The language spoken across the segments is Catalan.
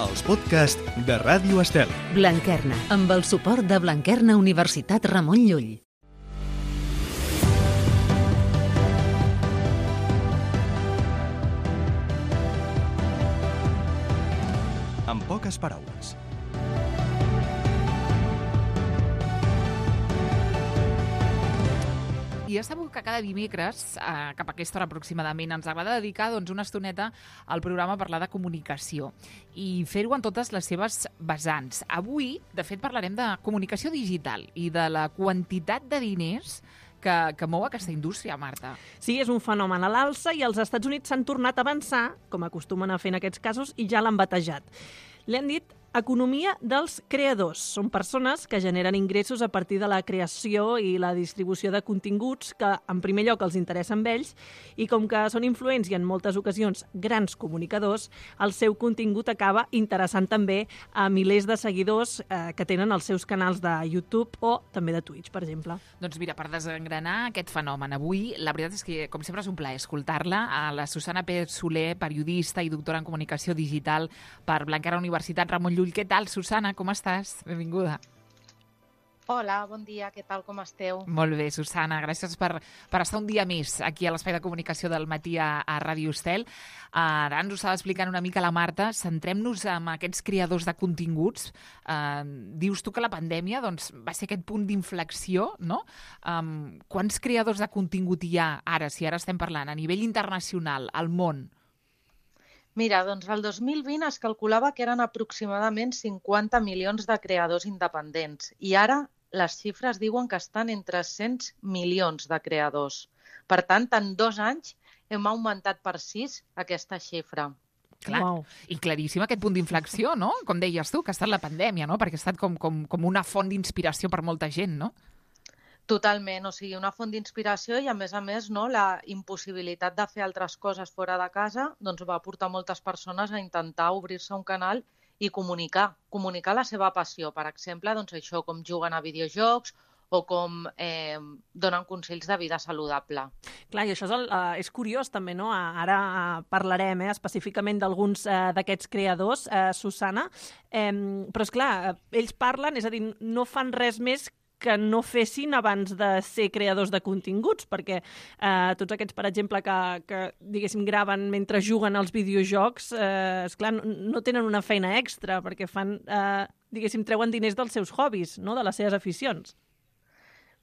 els podcasts de Ràdio Estel. Blanquerna, amb el suport de Blanquerna Universitat Ramon Llull. En poques paraules. I ja sabeu que cada dimecres, cap a aquesta hora aproximadament, ens agrada dedicar una estoneta al programa a parlar de comunicació i fer-ho en totes les seves vessants. Avui, de fet, parlarem de comunicació digital i de la quantitat de diners que mou aquesta indústria, Marta. Sí, és un fenomen a l'alça i els Estats Units s'han tornat a avançar, com acostumen a fer en aquests casos, i ja l'han batejat. Li han dit economia dels creadors. Són persones que generen ingressos a partir de la creació i la distribució de continguts que, en primer lloc, els interessen a ells i com que són influents i en moltes ocasions grans comunicadors, el seu contingut acaba interessant també a milers de seguidors que tenen els seus canals de YouTube o també de Twitch, per exemple. Doncs mira, per desengranar aquest fenomen avui, la veritat és que, com sempre, és un plaer escoltar-la. A la Susana Pérez Soler, periodista i doctora en comunicació digital per Blanquerna Universitat Ramon Llull. Què tal, Susana? Com estàs? Benvinguda. Hola, bon dia, què tal, com esteu? Molt bé, Susana, gràcies per estar un dia més aquí a l'Espai de Comunicació del Matí a Ràdio Estel. Ara ens ho estava explicant una mica la Marta. Centrem-nos en aquests creadors de continguts. Dius tu que la pandèmia va ser aquest punt d'inflexió, no? Quants creadors de contingut hi ha ara, si ara estem parlant, a nivell internacional, al món? Mira, doncs el 2020 es calculava que eren aproximadament 50 milions de creadors independents i ara les xifres diuen que estan en 300 milions de creadors. Per tant, en 2 anys hem augmentat per 6 aquesta xifra. Clar, wow. I claríssim aquest punt d'inflexió, no? Com deies tu, que ha estat la pandèmia, no? Perquè ha estat com una font d'inspiració per molta gent, no? Totalment, o sigui, una font d'inspiració i, a més, no, la impossibilitat de fer altres coses fora de casa va portar moltes persones a intentar obrir-se un canal i comunicar la seva passió. Per exemple, això, com juguen a videojocs o com donen consells de vida saludable. Clar, i això és curiós també, no? Ara parlarem específicament d'alguns d'aquests creadors, Susana, però és clar, ells parlen, és a dir, no fan res més que no fessin abans de ser creadors de continguts, perquè tots aquests, per exemple, que diguéssim, graven mentre juguen als videojocs, esclar, no tenen una feina extra, perquè fan, diguéssim, treuen diners dels seus hobbies, no?, de les seves aficions.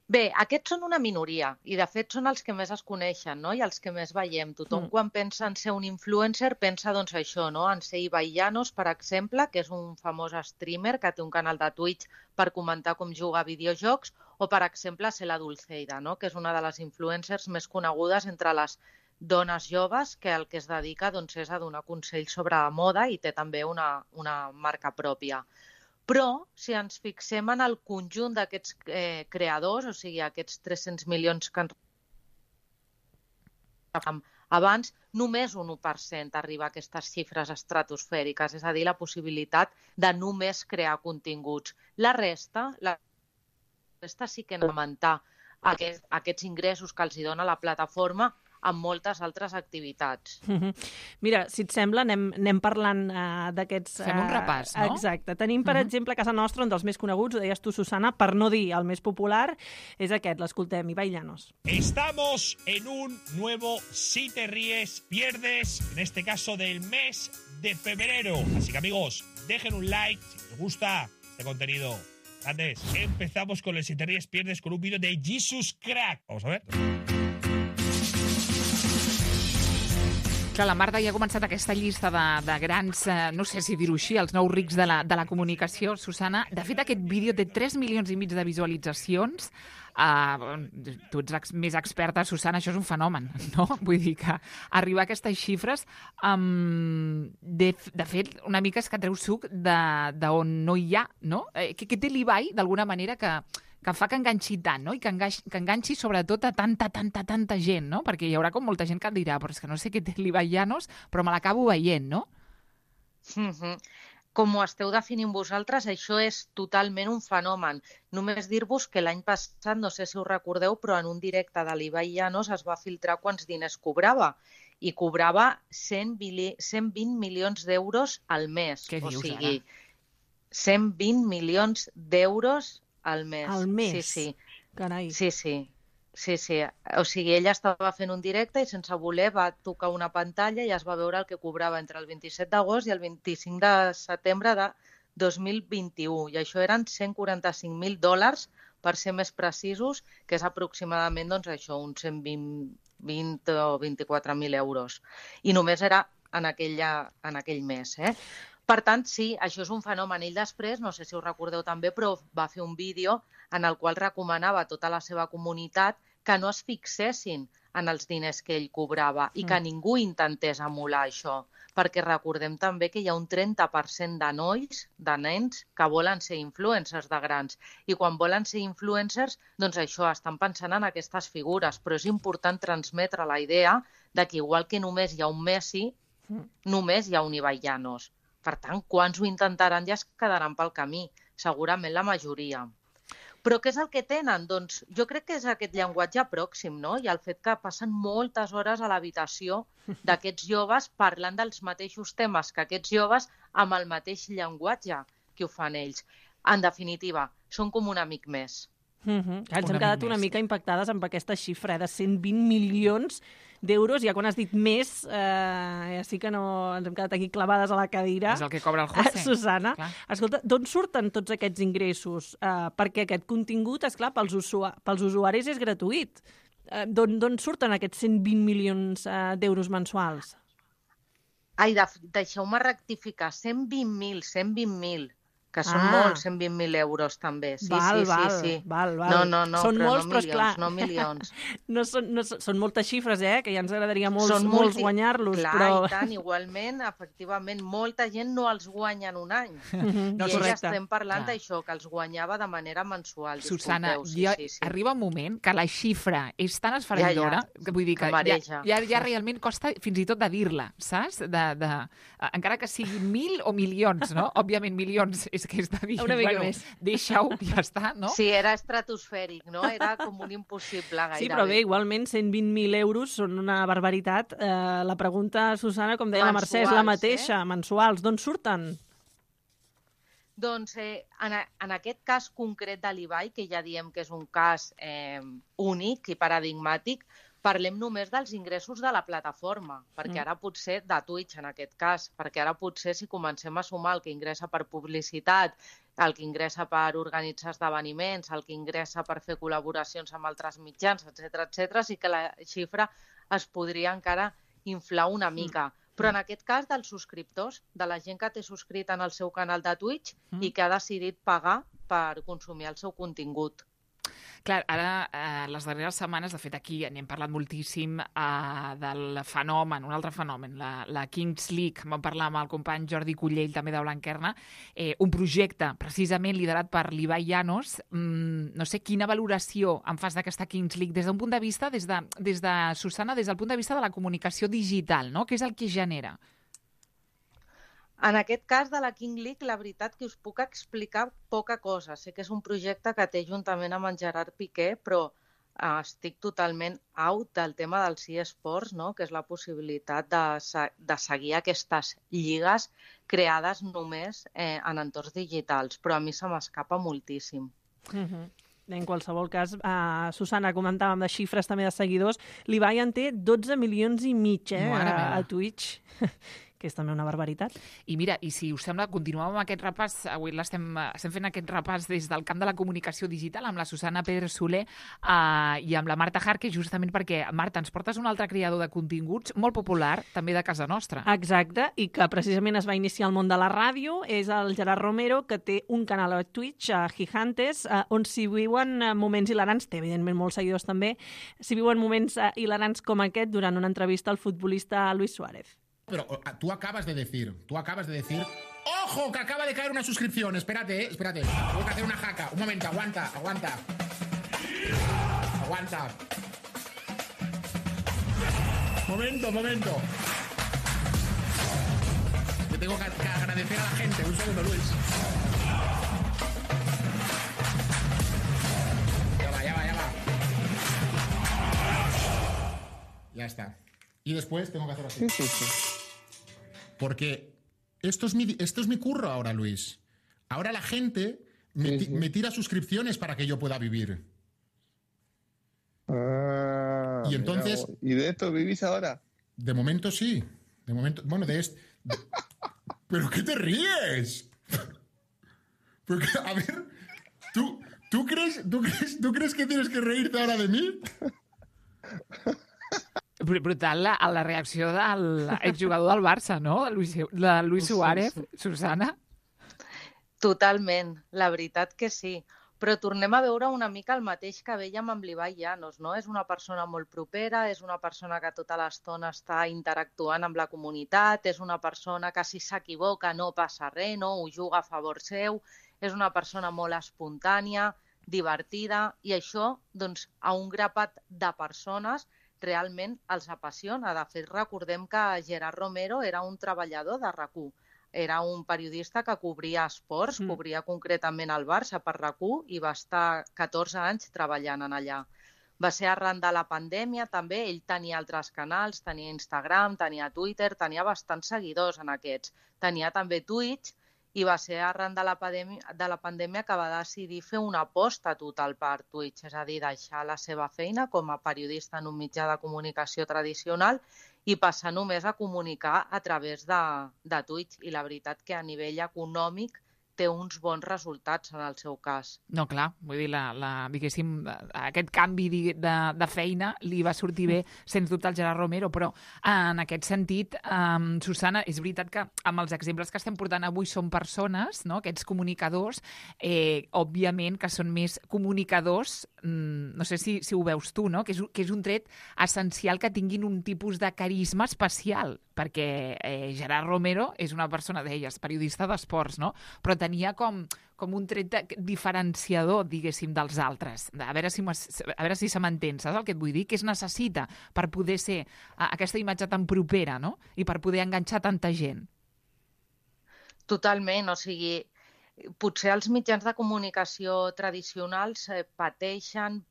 Bé, aquests són una minoria i, de fet, són els que més es coneixen, no?, i els que més veiem. Tothom, quan pensa en ser un influencer, pensa, això, no?, en ser Ibai Llanos, per exemple, que és un famós streamer que té un canal de Twitch per comentar com juga a videojocs, o, per exemple, ser la Dulceida, no?, que és una de les influencers més conegudes entre les dones joves que el que es dedica és a donar consells sobre moda i té també una marca pròpia. Però, si ens fixem en el conjunt d'aquests creadors, o sigui, aquests 300 milions que ens abans, només un 1% arriba a aquestes xifres estratosfèriques, és a dir, la possibilitat de només crear continguts. La resta sí que han d'augmentar aquests ingressos que els dona la plataforma amb moltes altres activitats. Mira, si et sembla, anem parlant d'aquests... Fem un repàs, no? Exacte. Tenim, per exemple, a casa nostra, un dels més coneguts, ho deies tu, Susana, per no dir el més popular, és aquest, l'escoltem, Ibai Llanos. Estamos en un nuevo Si te ríes, pierdes, en este caso del mes de febrero. Así que, amigos, dejen un like si les gusta este contenido. Grandes, empezamos con el Si te ríes, pierdes con un vídeo de Jesus Crack. Vamos a ver. Clar, la Marta ja ha començat aquesta llista de grans, no sé si dir-ho així, els nous rics de la comunicació, Susana. De fet, aquest vídeo té 3,5 milions de visualitzacions. Tu ets més experta, Susana, això és un fenomen, no? Vull dir que arribar a aquestes xifres, de fet, una mica és que treu suc d'on no hi ha, no? Què té l'Ibai, d'alguna manera, que fa que enganxi tant, no? I que enganxi sobretot a tanta gent, no? Perquè hi haurà com molta gent que dirà, però és que no sé què té l'Ibai Llanos, però me l'acabo veient, no? Com ho esteu definint vosaltres, això és totalment un fenomen. Només dir-vos que l'any passat, no sé si us recordeu, però en un directe de l'Ibai Llanos es va filtrar quants diners cobrava. i cobrava 120 milions d'euros al mes. Què dius, o sigui, ara? 120 milions d'euros al mes. Al mes? Sí. Carai. Sí. O sigui, ella estava fent un directe i sense voler va tocar una pantalla i es va veure el que cobrava entre el 27 d'agost i el 25 de setembre de 2021. I això eren $145.000, per ser més precisos, que és aproximadament doncs, això, uns 120 o 24.000 euros. I només era en aquell mes. Per tant, sí, això és un fenomen. Ell després, no sé si ho recordeu també, però va fer un vídeo en el qual recomanava a tota la seva comunitat que no es fixessin en els diners que ell cobrava i que ningú intentés emular això, perquè recordem també que hi ha un 30% de nois, de nens, que volen ser influencers de grans. I quan volen ser influencers, doncs això, estan pensant en aquestes figures, però és important transmetre la idea de que igual que només hi ha un Messi, només hi ha un Ibai Llanos. Per tant, quants ho intentaran i es quedaran pel camí? Segurament la majoria. Però què és el que tenen? Doncs jo crec que és aquest llenguatge pròxim, no? I el fet que passen moltes hores a l'habitació d'aquests joves parlant dels mateixos temes que aquests joves amb el mateix llenguatge que ho fan ells. En definitiva, són com un amic més. Ens hem quedat una mica impactades amb aquesta xifra de 120 milions d'euros. Ja quan has dit més, ja sí que no ens hem quedat aquí clavades a la cadira. És el que cobra el José. Susana, Clar. escolta, d'on surten tots aquests ingressos? Perquè aquest contingut, esclar, pels usuaris és gratuït. D'on surten aquests 120 milions d'euros mensuals? Ai, deixeu-me rectificar, 120.000, que són molts, 120.000 euros també. Sí. Val. No, Són però molts, no però esclar, milions, no milions. Són moltes xifres, que ja ens agradaria molts guanyar-los. Clar, però... i tant, igualment, efectivament, molta gent no els guanya en un any. No, I correcte. estem parlant Clar. d'això, que els guanyava de manera mensual. Susana, Disculpeu, sí. arriba un moment que la xifra és tan esfereïdora, que vull dir que mareja. ja realment costa fins i tot de dir-la, saps? Encara que siguin 1.000 o milions, no? Òbviament, milions és que és de dir, Una mica més. deixa-ho, ja està, no? Sí, era estratosfèric, no? Era com un impossible gairebé. Sí, però bé, igualment 120.000 euros són una barbaritat. La pregunta, Susana, com deia la Mercè, és la mateixa, mensuals. D'on surten? Doncs en aquest cas concret de l'Ibai, que ja diem que és un cas únic i paradigmàtic, parlem només dels ingressos de la plataforma, perquè ara potser, de Twitch en aquest cas, perquè ara potser si comencem a sumar el que ingressa per publicitat, el que ingressa per organitzar esdeveniments, el que ingressa per fer col·laboracions amb altres mitjans, etc., sí que la xifra es podria encara inflar una mica. Però en aquest cas dels subscriptors, de la gent que té subscrit en el seu canal de Twitch i que ha decidit pagar per consumir el seu contingut. Clar, ara, les darreres setmanes, de fet, aquí n'hem parlat moltíssim del fenomen, un altre fenomen, la Kings League. Vam parlar amb el company Jordi Cullell, també de Blanquerna, un projecte precisament liderat per l'Ibai Llanos. No sé quina valoració en fas d'aquesta Kings League des d'un punt de vista, des de Susana, des del punt de vista de la comunicació digital, no? Què és el que genera? En aquest cas de la King League, la veritat que us puc explicar poca cosa. Sé que és un projecte que té juntament amb en Gerard Piqué, però estic totalment out del tema dels eSports, no? Que és la possibilitat de seguir aquestes lligues creades només en entorns digitals, però a mi se m'escapa moltíssim. En qualsevol cas, Susana, comentàvem de xifres també de seguidors, l'Ibai en té 12 milions i mig a Twitch, que és també una barbaritat. I mira, i si us sembla, continuem amb aquest repàs. Avui estem fent aquest repàs des del camp de la comunicació digital amb la Susana Pedro Soler i amb la Marta Jarque, justament perquè, Marta, ens portes un altre creador de continguts molt popular, també de casa nostra. Exacte, i que precisament es va iniciar al món de la ràdio, és el Gerard Romero, que té un canal a Twitch, a Gigantes, on s'hi viuen moments hilarants, té evidentment molts seguidors també, s'hi viuen moments hilarants com aquest durant una entrevista al futbolista Luis Suárez. Pero tú acabas de decir, ¡ojo, que acaba de caer una suscripción! Espérate, tengo que hacer una jaca. Un momento, aguanta. Momento. Yo tengo que agradecer a la gente. Un segundo, Luis. Ya va. Ya está. y después tengo que hacer así. Sí. Porque esto es mi curro ahora, Luis. Ahora la gente me tira suscripciones para que yo pueda vivir. Y entonces... ¿Y de esto vivís ahora? De momento sí. De momento... Bueno, de esto... ¿Pero qué te ríes? Porque, a ver... ¿Tú crees que tienes que reírte ahora de mí? Brutal la reacció del exjugador del Barça, no? De Luis Suárez, Susana. Totalment, la veritat que sí. Però tornem a veure una mica el mateix que veiem amb l'Ibai Llanos, no? És una persona molt propera, és una persona que tota l'estona està interactuant amb la comunitat, és una persona que si s'equivoca no passa res, no? Ho juga a favor seu, és una persona molt espontània, divertida, i això, doncs, a un grapat de persones realment els apassiona. De fet, recordem que Gerard Romero era un treballador de RAC1. Era un periodista que cobria esports, cobria concretament el Barça per RAC1 i va estar 14 anys treballant en allà. Va ser arran de la pandèmia també, ell tenia altres canals, tenia Instagram, tenia Twitter, tenia bastants seguidors en aquests. Tenia també Twitch i va ser arran de la pandèmia que va decidir fer una aposta total per Twitch, és a dir, deixar la seva feina com a periodista en un mitjà de comunicació tradicional i passar només a comunicar a través de Twitch. I la veritat que a nivell econòmic té uns bons resultats en el seu cas. No, clar, vull dir, diguéssim, aquest canvi de feina li va sortir bé, sens dubte, al Gerard Romero, però en aquest sentit, Susana, és veritat que amb els exemples que estem portant avui són persones, no?, aquests comunicadors, òbviament que són més comunicadors, no sé si ho veus tu, no?, que és un tret essencial que tinguin un tipus de carisma especial, perquè Gerard Romero és una persona, deies, periodista d'esports, no?, però tenia com un tret diferenciador, diguéssim, dels altres. A veure si se m'entén, saps el que et vull dir? Què es necessita per poder ser aquesta imatge tan propera, no?, i per poder enganxar tanta gent. Totalment, o sigui, potser els mitjans de comunicació tradicionals pateixen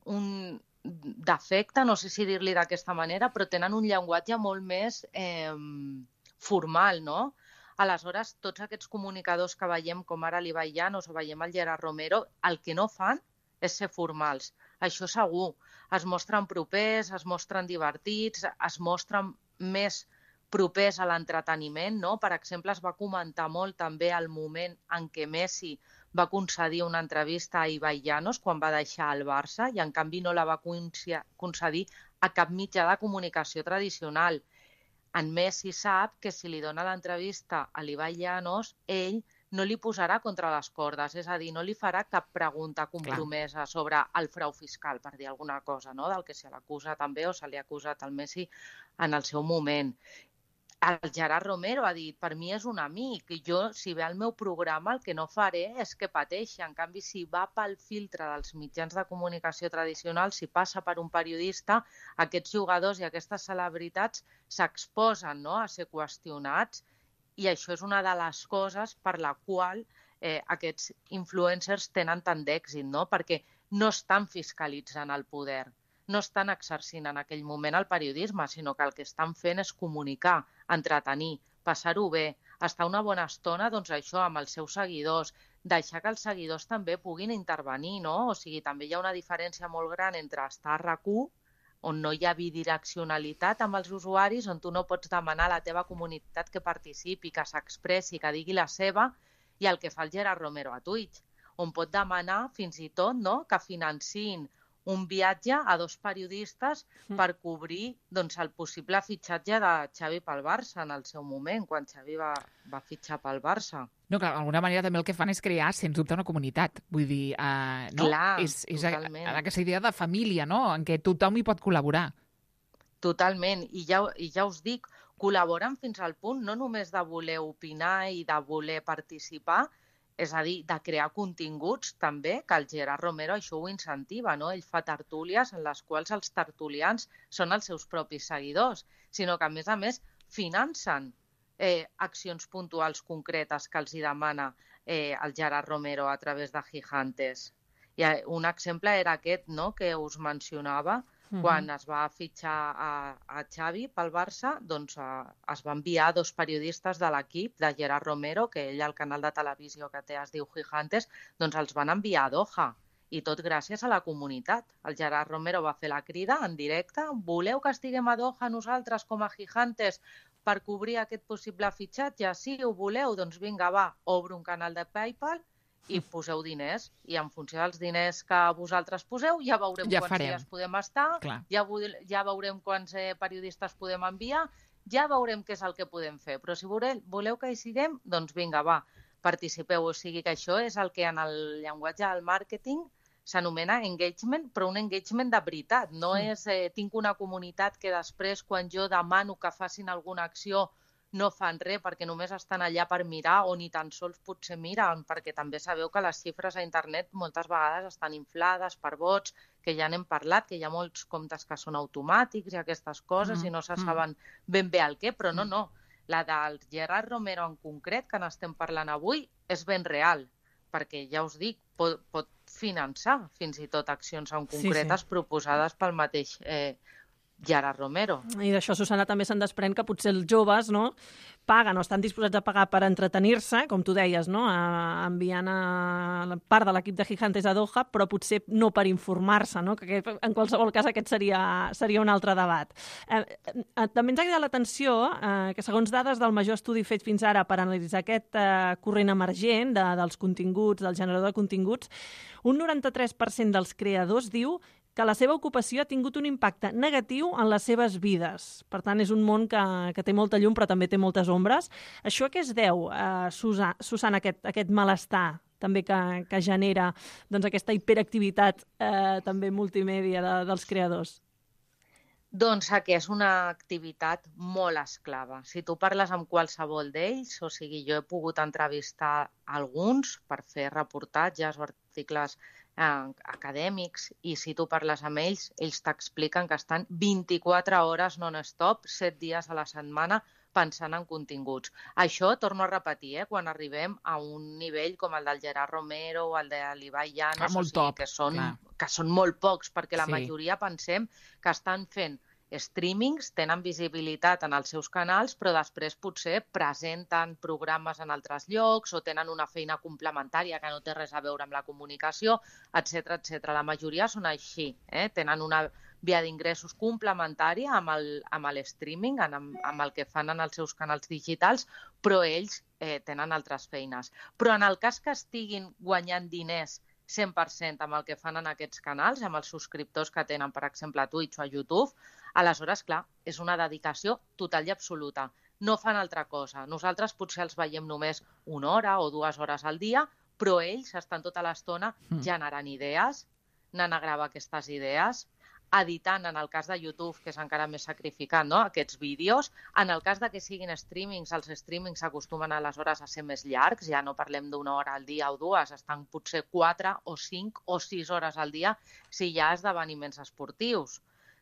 un defecte, no sé si dir-li d'aquesta manera, però tenen un llenguatge molt més formal, no? Aleshores, tots aquests comunicadors que veiem, com ara l'Ibai Llanos o veiem el Gerard Romero, el que no fan és ser formals. Això segur. Es mostren propers, es mostren divertits, es mostren més propers a l'entreteniment, no? Per exemple, es va comentar molt també el moment en què Messi va concedir una entrevista a Ibai Llanos quan va deixar el Barça i en canvi no la va concedir a cap mitjà de comunicació tradicional. En Messi sap que si li dona l'entrevista a l'Ibai Llanos, ell no li posarà contra les cordes, és a dir, no li farà cap pregunta compromesa sobre el frau fiscal, per dir alguna cosa, no?, del que se l'acusa també o se li ha acusat al Messi en el seu moment. El Gerard Romero ha dit, per mi és un amic, i jo, si ve al meu programa, el que no faré és que pateixi. En canvi, si va pel filtre dels mitjans de comunicació tradicionals, si passa per un periodista, aquests jugadors i aquestes celebritats s'exposen, no?, a ser qüestionats, i això és una de les coses per la qual aquests influencers tenen tant d'èxit, no?, perquè no estan fiscalitzant el poder. No estan exercint en aquell moment el periodisme, sinó que el que estan fent és comunicar, entretenir, passar-ho bé, estar una bona estona, doncs això, amb els seus seguidors, deixar que els seguidors també puguin intervenir, no? O sigui, també hi ha una diferència molt gran entre estar a RAC1, on no hi ha bidireccionalitat amb els usuaris, on tu no pots demanar a la teva comunitat que participi, que s'expressi, que digui la seva, i el que fa el Gerard Romero a Twitch, on pot demanar fins i tot, no?, que financin un viatge a 2 periodistes per cobrir doncs, el possible fitxatge de Xavi pel Barça en el seu moment, quan Xavi va fitxar pel Barça. No, clar, d'alguna manera també el que fan és crear, sens dubte, una comunitat. Vull dir, no? Clar, és totalment. aquesta idea de família, no?, en què tothom hi pot col·laborar. Totalment, i ja us dic, col·laboren fins al punt no només de voler opinar i de voler participar, és a dir, de crear continguts també, que el Gerard Romero això ho incentiva, no? Ell fa tertúlies en les quals els tertulians són els seus propis seguidors, sinó que, a més, financen accions puntuals concretes que els hi demana el Gerard Romero a través de Gigantes. I un exemple era aquest, no?, que us mencionava, Quan es va fitxar a Xavi pel Barça, doncs es va enviar 2 periodistes de l'equip, de Gerard Romero, que ell al canal de televisió que té es diu Gigantes, doncs els van enviar a Doha. I tot gràcies a la comunitat. El Gerard Romero va fer la crida en directe. Voleu que estiguem a Doha nosaltres com a Gigantes per cobrir aquest possible fitxatge? Sí, ho voleu? Doncs vinga, va, obro un canal de PayPal i poseu diners. I en funció dels diners que vosaltres poseu, ja veurem quants dies podem estar, ja veurem quants periodistes podem enviar, ja veurem què és el que podem fer. Però si voleu que hi siguem, doncs vinga, va, participeu. O sigui que això és el que en el llenguatge del màrqueting s'anomena engagement, però un engagement de veritat. No és tinc una comunitat que després, quan jo demano que facin alguna acció, no fan res perquè només estan allà per mirar o ni tan sols potser miren, perquè també sabeu que les xifres a internet moltes vegades estan inflades per bots, que ja n'hem parlat, que hi ha molts comptes que són automàtics i aquestes coses i no se saben ben bé el què, però no. La del Gerard Romero en concret, que n'estem parlant avui, és ben real, perquè ja us dic, pot finançar fins i tot accions en concretes proposades pel mateix Gerard Romero. I d'això, Susana, també se'n desprèn que potser els joves paguen o estan disposats a pagar per entretenir-se, com tu deies, enviant a part de l'equip de Gigantes a Doha, però potser no per informar-se, que en qualsevol cas aquest seria un altre debat. També ens ha cridat l'atenció que, segons dades del major estudi fet fins ara per analitzar aquest corrent emergent dels continguts, del generador de continguts, un 93% dels creadors diu que la seva ocupació ha tingut un impacte negatiu en les seves vides. Per tant, és un món que té molta llum, però també té moltes ombres. Això a què es deu, Susana, aquest malestar també que genera aquesta hiperactivitat també multimèdia dels creadors? Doncs que és una activitat molt esclava. Si tu parles amb qualsevol d'ells, o sigui, jo he pogut entrevistar alguns per fer reportatges o articles acadèmics, i si tu parles amb ells t'expliquen que estan 24 hores non-stop, 7 dies a la setmana, pensant en continguts. Això, torno a repetir, quan arribem a un nivell com el del Gerard Romero o el de l'Ibai Llanos, que són molt pocs, perquè la majoria pensem que estan fent streamings, tenen visibilitat en els seus canals, però després potser presenten programes en altres llocs o tenen una feina complementària que no té res a veure amb la comunicació, etc. La majoria són així, tenen una via d'ingressos complementària amb l'streaming, amb el que fan en els seus canals digitals, però ells tenen altres feines. Però en el cas que estiguin guanyant diners 100% amb el que fan en aquests canals, amb els subscriptors que tenen, per exemple, a Twitch o a YouTube, aleshores, clar, és una dedicació total i absoluta. No fan altra cosa. Nosaltres potser els veiem només 1 hora o 2 hores al dia, però ells estan tota l'estona generant idees, anant a gravar aquestes idees, editant, en el cas de YouTube, que és encara més sacrificat, aquests vídeos. En el cas de que siguin streamings, els streamings acostumen aleshores a ser més llargs, ja no parlem d'1 hora al dia o 2, estan potser 4 o 5 o 6 hores al dia si hi ha esdeveniments esportius.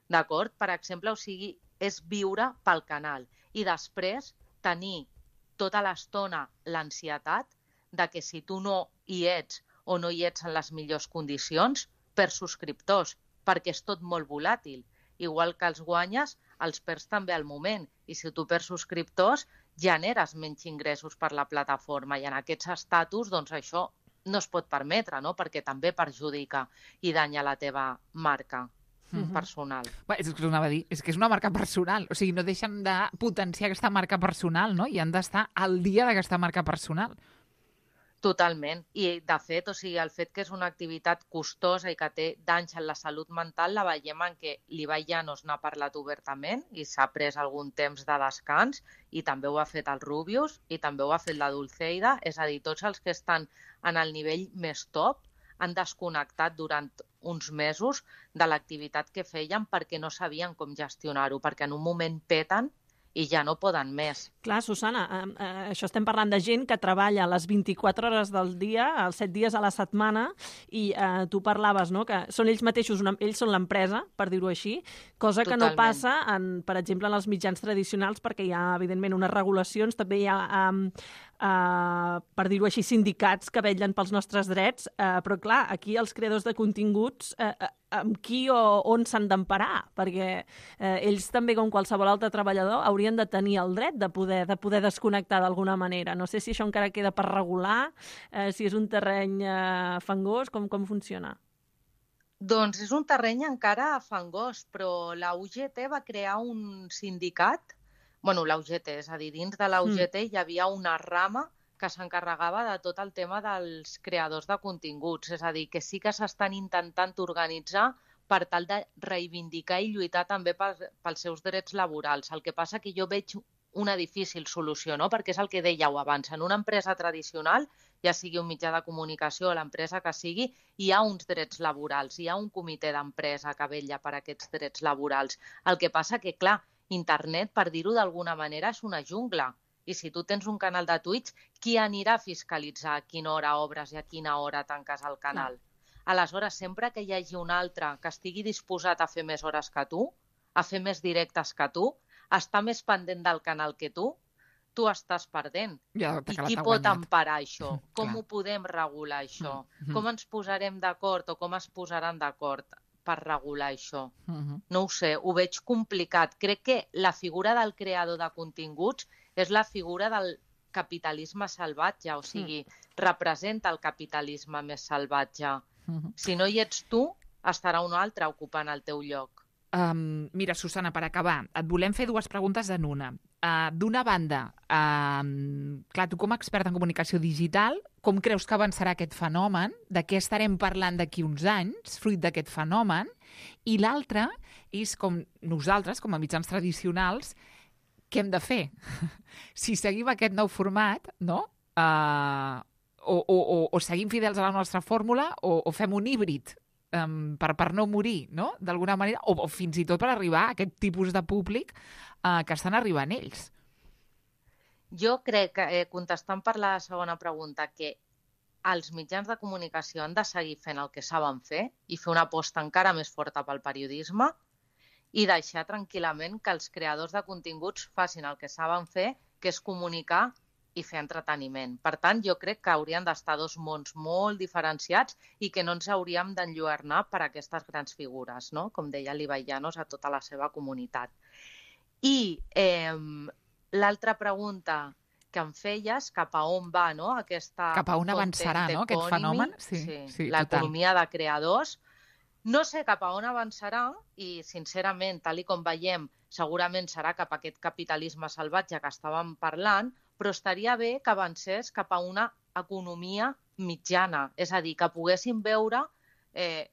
D'acord? Per exemple, o sigui, és viure pel canal i després tenir tota l'estona l'ansietat de que si tu no hi ets o no hi ets en les millors condicions, per subscriptors, perquè és tot molt volàtil. Igual que els guanyes, els perds també al moment. I si tu perds subscriptors, generes menys ingressos per la plataforma. I en aquests estatus, doncs això no es pot permetre, perquè també perjudica i danya la teva marca personal. És que anava a dir, és que és una marca personal. O sigui, no deixen de potenciar aquesta marca personal, i han d'estar al dia d'aquesta marca personal. Totalment. I, de fet, el fet que és una activitat costosa i que té danys en la salut mental la veiem en què l'Ibai Llanos n'ha parlat obertament i s'ha pres algun temps de descans i també ho ha fet el Rubius i també ho ha fet la Dulceida. És a dir, tots els que estan en el nivell més top han desconnectat durant uns mesos de l'activitat que feien perquè no sabien com gestionar-ho, perquè en un moment peten i ja no poden més. Clar, Susana, això estem parlant de gent que treballa les 24 hores del dia, els 7 dies a la setmana, i tu parlaves, que són ells mateixos, ells són l'empresa, per dir-ho així, cosa que no passa, per exemple, en els mitjans tradicionals, perquè hi ha, evidentment, unes regulacions, també hi ha per dir-ho així, sindicats que vetllen pels nostres drets, però clar, aquí els creadors de continguts amb qui o on s'han d'emparar, perquè ells també, com qualsevol altre treballador, haurien de tenir el dret de poder desconnectar d'alguna manera. No sé si això encara queda per regular, si és un terreny fangós, com funciona? Doncs és un terreny encara fangós, però la UGT va crear un sindicat, la UGT, és a dir, dins de la UGT hi havia una rama que s'encarregava de tot el tema dels creadors de continguts, és a dir, que sí que s'estan intentant organitzar per tal de reivindicar i lluitar també pels seus drets laborals. El que passa que jo veig una difícil solució, no? Perquè és el que dèieu abans. En una empresa tradicional, ja sigui un mitjà de comunicació o l'empresa que sigui, hi ha uns drets laborals, hi ha un comitè d'empresa que vetlla per aquests drets laborals. El que passa que, clar, internet, per dir-ho d'alguna manera, és una jungla. I si tu tens un canal de Twitch, qui anirà a fiscalitzar a quina hora obres i a quina hora tanques el canal? Aleshores, sempre que hi hagi un altre que estigui disposat a fer més hores que tu, a fer més directes que tu, està més pendent del canal que tu estàs perdent. I qui pot emparar això? Com ho podem regular, això? Com ens posarem d'acord o com es posaran d'acord per regular això? No ho sé, ho veig complicat. Crec que la figura del creador de continguts és la figura del capitalisme salvatge, o sigui, representa el capitalisme més salvatge. Si no hi ets tu, estarà un altre ocupant el teu lloc. Mira, Susana, per acabar, et volem fer dues preguntes en una. D'una banda, clar, tu com a expert en comunicació digital, com creus que avançarà aquest fenomen? De què estarem parlant d'aquí uns anys, fruit d'aquest fenomen? I l'altra és com nosaltres, com a mitjans tradicionals, què hem de fer? Si seguim aquest nou format, no? O seguim fidels a la nostra fórmula o fem un híbrid per no morir, no? D'alguna manera, o fins i tot per arribar a aquest tipus de públic que estan arribant ells. Jo crec, contestant per la segona pregunta, que els mitjans de comunicació han de seguir fent el que saben fer i fer una aposta encara més forta pel periodisme i deixar tranquil·lament que els creadors de continguts facin el que saben fer, que és comunicar i fer entreteniment. Per tant, jo crec que haurien d'estar dos mons molt diferenciats i que no ens hauríem d'enlluernar per aquestes grans figures, no? Com deia l'Ibai Llanos a tota la seva comunitat. I l'altra pregunta que em feies, cap a on va, no? Cap a on avançarà, no? Aquest fenomen? Sí, l'economia de creadors. No sé cap a on avançarà i, sincerament, tal com veiem, segurament serà cap a aquest capitalisme salvatge que estàvem parlant, però estaria bé que avancés cap a una economia mitjana. És a dir, que poguéssim veure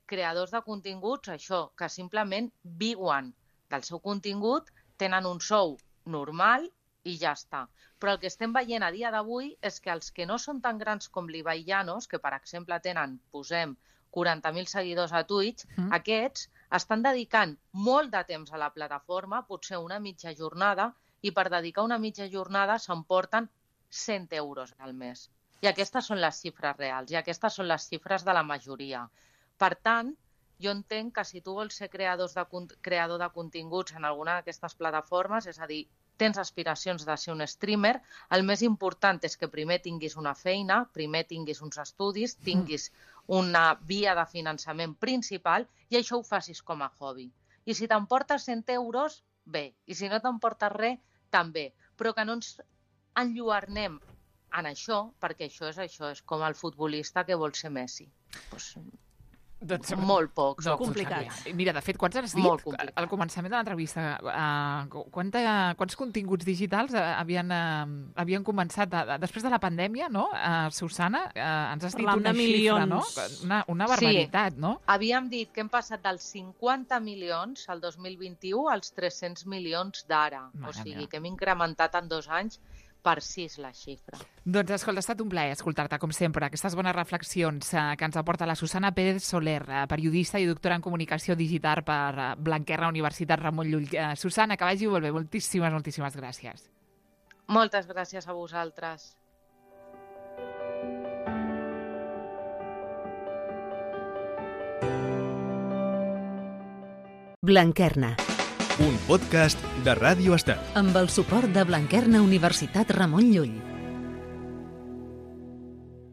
creadors de continguts, això, que simplement viuen del seu contingut, tenen un sou normal i ja està. Però el que estem veient a dia d'avui és que els que no són tan grans com l'Ibai Llanos, que per exemple tenen, posem, 40.000 seguidors a Twitch, aquests estan dedicant molt de temps a la plataforma, potser una mitja jornada, i per dedicar una mitja jornada s'emporten 100 euros al mes. I aquestes són les xifres reals, i aquestes són les xifres de la majoria. Per tant, jo entenc que si tu vols ser creador de continguts en alguna d'aquestes plataformes, és a dir, tens aspiracions de ser un streamer, el més important és que primer tinguis una feina, primer tinguis uns estudis, tinguis una via de finançament principal i això ho facis com a hobby. I si t'emportes 100 euros, bé. I si no t'emportes res, també. Però que no ens enlluernem en això, perquè això és com el futbolista que vol ser Messi. Doncs molt pocs. Complicat. Mira, de fet, quants has dit al començament de l'entrevista? Quants continguts digitals havien començat després de la pandèmia, no? Susana, ens has dit una xifra, no? Una barbaritat, no? Havíem dit que hem passat dels 50 milions al 2021 als 300 milions d'ara. O sigui, que hem incrementat en 2 anys per 6 la xifra. Doncs, escolta, ha estat un plaer escoltar-te, com sempre, aquestes bones reflexions que ens aporta la Susana Pérez Soler, periodista i doctora en comunicació digital per Blanquerna Universitat Ramon Llull. Susana, que vagi molt bé. Moltíssimes gràcies. Moltes gràcies a vosaltres. Blanquerna. Un podcast de Ràdio Estel. Amb el suport de Blanquerna Universitat Ramon Llull.